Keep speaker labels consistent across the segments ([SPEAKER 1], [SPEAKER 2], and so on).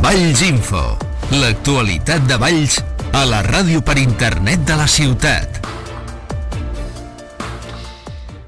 [SPEAKER 1] Valls Info, l'actualitat de Valls a la ràdio per internet de la ciutat.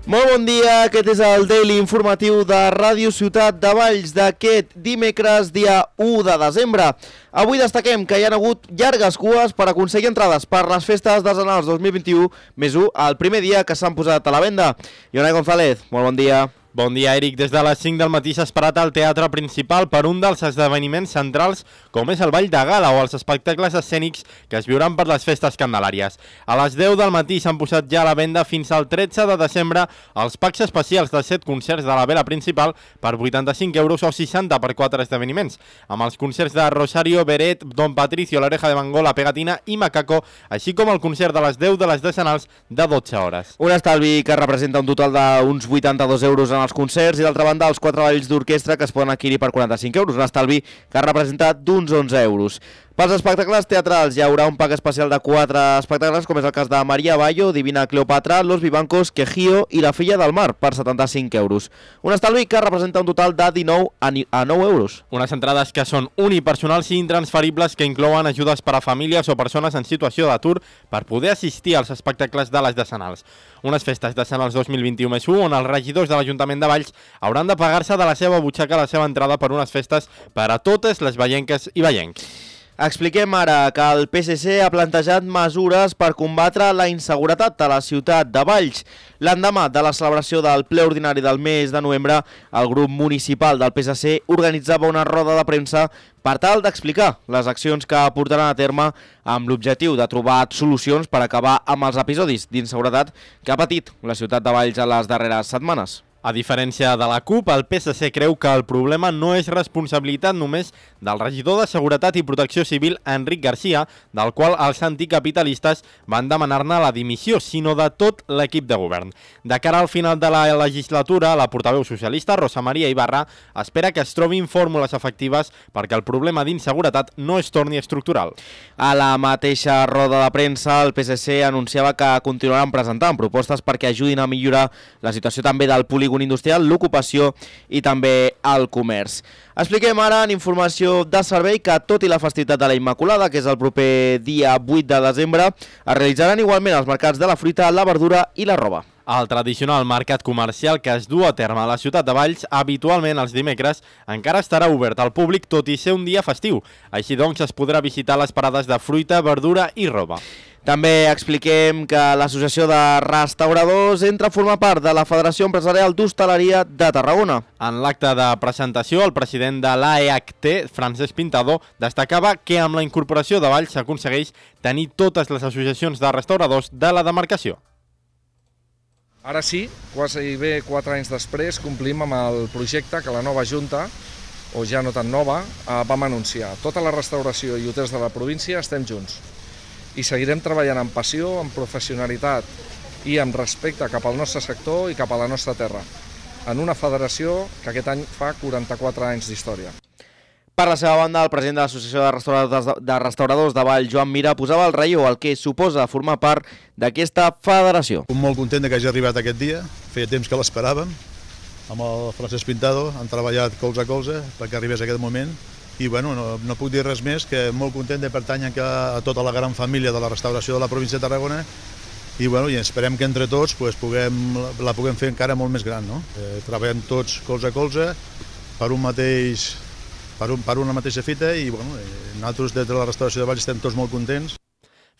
[SPEAKER 2] Molt bon dia, aquest és el Daily Informatiu de Ràdio Ciutat de Valls d'aquest dimecres, dia 1 de desembre. Avui destaquem que hi ha hagut llargues cues per aconseguir entrades per les festes desenals 2021 més 1, el primer dia que s'han posat a la venda. Ione González, molt bon dia.
[SPEAKER 3] Bon dia, Eric. Des de les 5 del matí s'ha esperat al teatre principal per un dels esdeveniments centrals com és el Ball de Gala o els espectacles escènics que es viuran per les festes candelàries. A les 10 del matí s'han posat ja a la venda fins al 13 de desembre els packs especials de 7 concerts de la vela principal per 85 euros o 60 per 4 esdeveniments, amb els concerts de Rosario, Beret, Don Patricio, l'Oreja de Van Gogh, La Pegatina i Macaco, així com el concert de les 10 de les decenals de 12 hores.
[SPEAKER 2] Un estalvi que representa un total d'uns 82 euros en els concerts i d'altra banda els 4 balls d'orquestra que es poden adquirir per 45 euros, un estalvi que ha representat d'uns 11 euros. Pels espectacles teatrals hi haurà un pack especial de 4 espectacles, com és el cas de Maria Bayo, Divina Cleopatra, Los Vivancos, Quejío i La Filla del Mar, per 75 euros. Un estalvi que representa un total de 19 a 9 euros.
[SPEAKER 3] Unes entrades que són unipersonals i intransferibles que inclouen ajudes per a famílies o persones en situació d'atur per poder assistir als espectacles de les decenals. Unes festes decenals 2021+1 on els regidors de l'Ajuntament de Valls hauran de pagar-se de la seva butxaca la seva entrada per unes festes per a totes les vallenques i vallencs.
[SPEAKER 2] Expliquem ara que el PSC ha plantejat mesures per combatre la inseguretat a la ciutat de Valls. L'endemà de la celebració del ple ordinari del mes de novembre, el grup municipal del PSC organitzava una roda de premsa per tal d'explicar les accions que portaran a terme amb l'objectiu de trobar solucions per acabar amb els episodis d'inseguretat que ha patit la ciutat de Valls a les darreres setmanes.
[SPEAKER 3] A diferència de la CUP, el PSC creu que el problema no és responsabilitat només del regidor de Seguretat i Protecció Civil, Enric Garcia, del qual els anticapitalistes van demanar-ne la dimissió, sinó de tot l'equip de govern. De cara al final de la legislatura, la portaveu socialista, Rosa Maria Ibarra, espera que es trobin fórmules efectives perquè el problema d'inseguretat no es torni estructural.
[SPEAKER 2] A la mateixa roda de premsa, el PSC anunciava que continuaran presentant propostes perquè ajudin a millorar la situació també del polígon industrial, l'ocupació i també el comerç. Expliquem ara en informació de servei que tot i la festivitat de la Immaculada, que és el proper dia 8 de desembre, es realitzaran igualment els mercats de la fruita, la verdura i la roba.
[SPEAKER 3] El tradicional mercat comercial que es du a terme a la ciutat de Valls, habitualment els dimecres, encara estarà obert al públic tot i ser un dia festiu. Així doncs es podrà visitar les parades de fruita, verdura i roba.
[SPEAKER 2] També expliquem que l'Associació de Restauradors entra a formar part de la Federació Empresarial d'Hostaleria de Tarragona.
[SPEAKER 3] En l'acte de presentació, el president de l'AEHT, Francesc Pintado, destacava que amb la incorporació de Valls s'aconsegueix tenir totes les associacions de restauradors de la demarcació.
[SPEAKER 4] Ara sí, quasi bé 4 anys després, complim amb el projecte que la nova Junta, o ja no tan nova, vam anunciar. Tota la restauració i hotels de la província estem junts. I seguirem treballant amb passió, amb professionalitat i amb respecte cap al nostre sector i cap a la nostra terra, en una federació que aquest any fa 44 anys d'història.
[SPEAKER 2] Per la seva banda, el president de l'Associació de Restauradors de Valls, Joan Mira, posava el relleu al que suposa formar part d'aquesta federació.
[SPEAKER 5] Molt content que hagi arribat aquest dia, feia temps que l'esperàvem, amb el Francesc Pintado han treballat colze a colze perquè arribés aquest moment. I bueno, no puc dir res més que molt content de pertànyer a tota la gran família de la restauració de la província de Tarragona i esperem que entre tots la puguem fer encara molt més gran. No? Treballem tots colze a colze per una mateixa fita i nosaltres des de la restauració de Valls estem tots molt contents.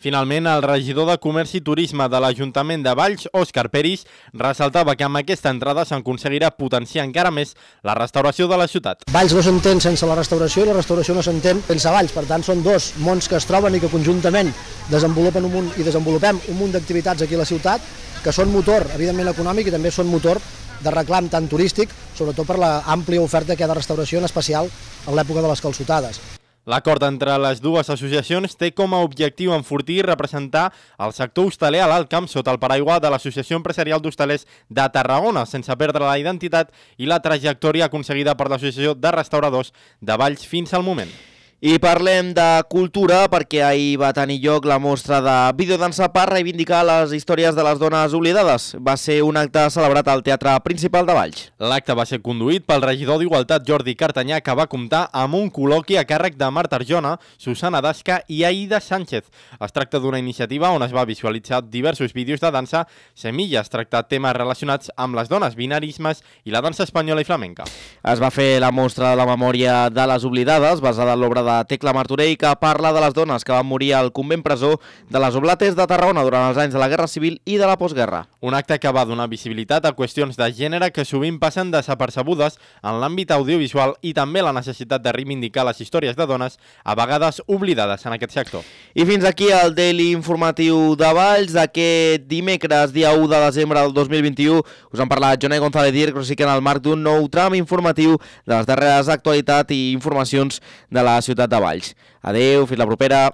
[SPEAKER 3] Finalment, el regidor de Comerç i Turisme de l'Ajuntament de Valls, Òscar Peris, ressaltava que amb aquesta entrada s'aconseguirà potenciar encara més la restauració de la ciutat.
[SPEAKER 6] Valls no s'entén sense la restauració i la restauració no s'entén sense Valls. Per tant, són dos mons que es troben i que conjuntament desenvolupem un munt d'activitats aquí a la ciutat que són motor, evidentment, econòmic i també són motor de reclam tant turístic, sobretot per l'àmplia oferta que hi ha de restauració, en especial en l'època de les calçotades.
[SPEAKER 3] L'acord entre les dues associacions té com a objectiu enfortir i representar el sector hostaler a l'Alt Camp sota el paraigua de l'Associació Empresarial d'Hostalers de Tarragona, sense perdre la identitat i la trajectòria aconseguida per l'Associació de Restauradors de Valls fins al moment.
[SPEAKER 2] I parlem de cultura perquè ahir va tenir lloc la mostra de videodansa per reivindicar les històries de les dones oblidades. Va ser un acte celebrat al Teatre Principal de Valls.
[SPEAKER 3] L'acte va ser conduït pel regidor d'Igualtat Jordi Cartanyà, que va comptar amb un col·loqui a càrrec de Marta Arjona, Susana Dasca i Aida Sánchez. Es tracta d'una iniciativa on es va visualitzar diversos vídeos de dansa, semilles, tractar temes relacionats amb les dones, binarismes i la dansa espanyola i flamenca.
[SPEAKER 2] Es va fer la mostra de la memòria de les oblidades, basada en l'obra de Tecla Martorell, que parla de les dones que van morir al convent presó de les Oblates de Tarragona durant els anys de la Guerra Civil i de la postguerra.
[SPEAKER 3] Un acte que va donar visibilitat a qüestions de gènere que sovint passen desapercebudes en l'àmbit audiovisual i també la necessitat de reivindicar les històries de dones a vegades oblidades en aquest sector.
[SPEAKER 2] I fins aquí el Daily Informatiu de Valls d'aquest dimecres, dia 1 de desembre del 2021. Us han parlat Jonai González Dir, però sí que en el marc d'un nou tram informatiu de les darreres actualitats i informacions de la ciutat de Valls. Adeu, fins la propera.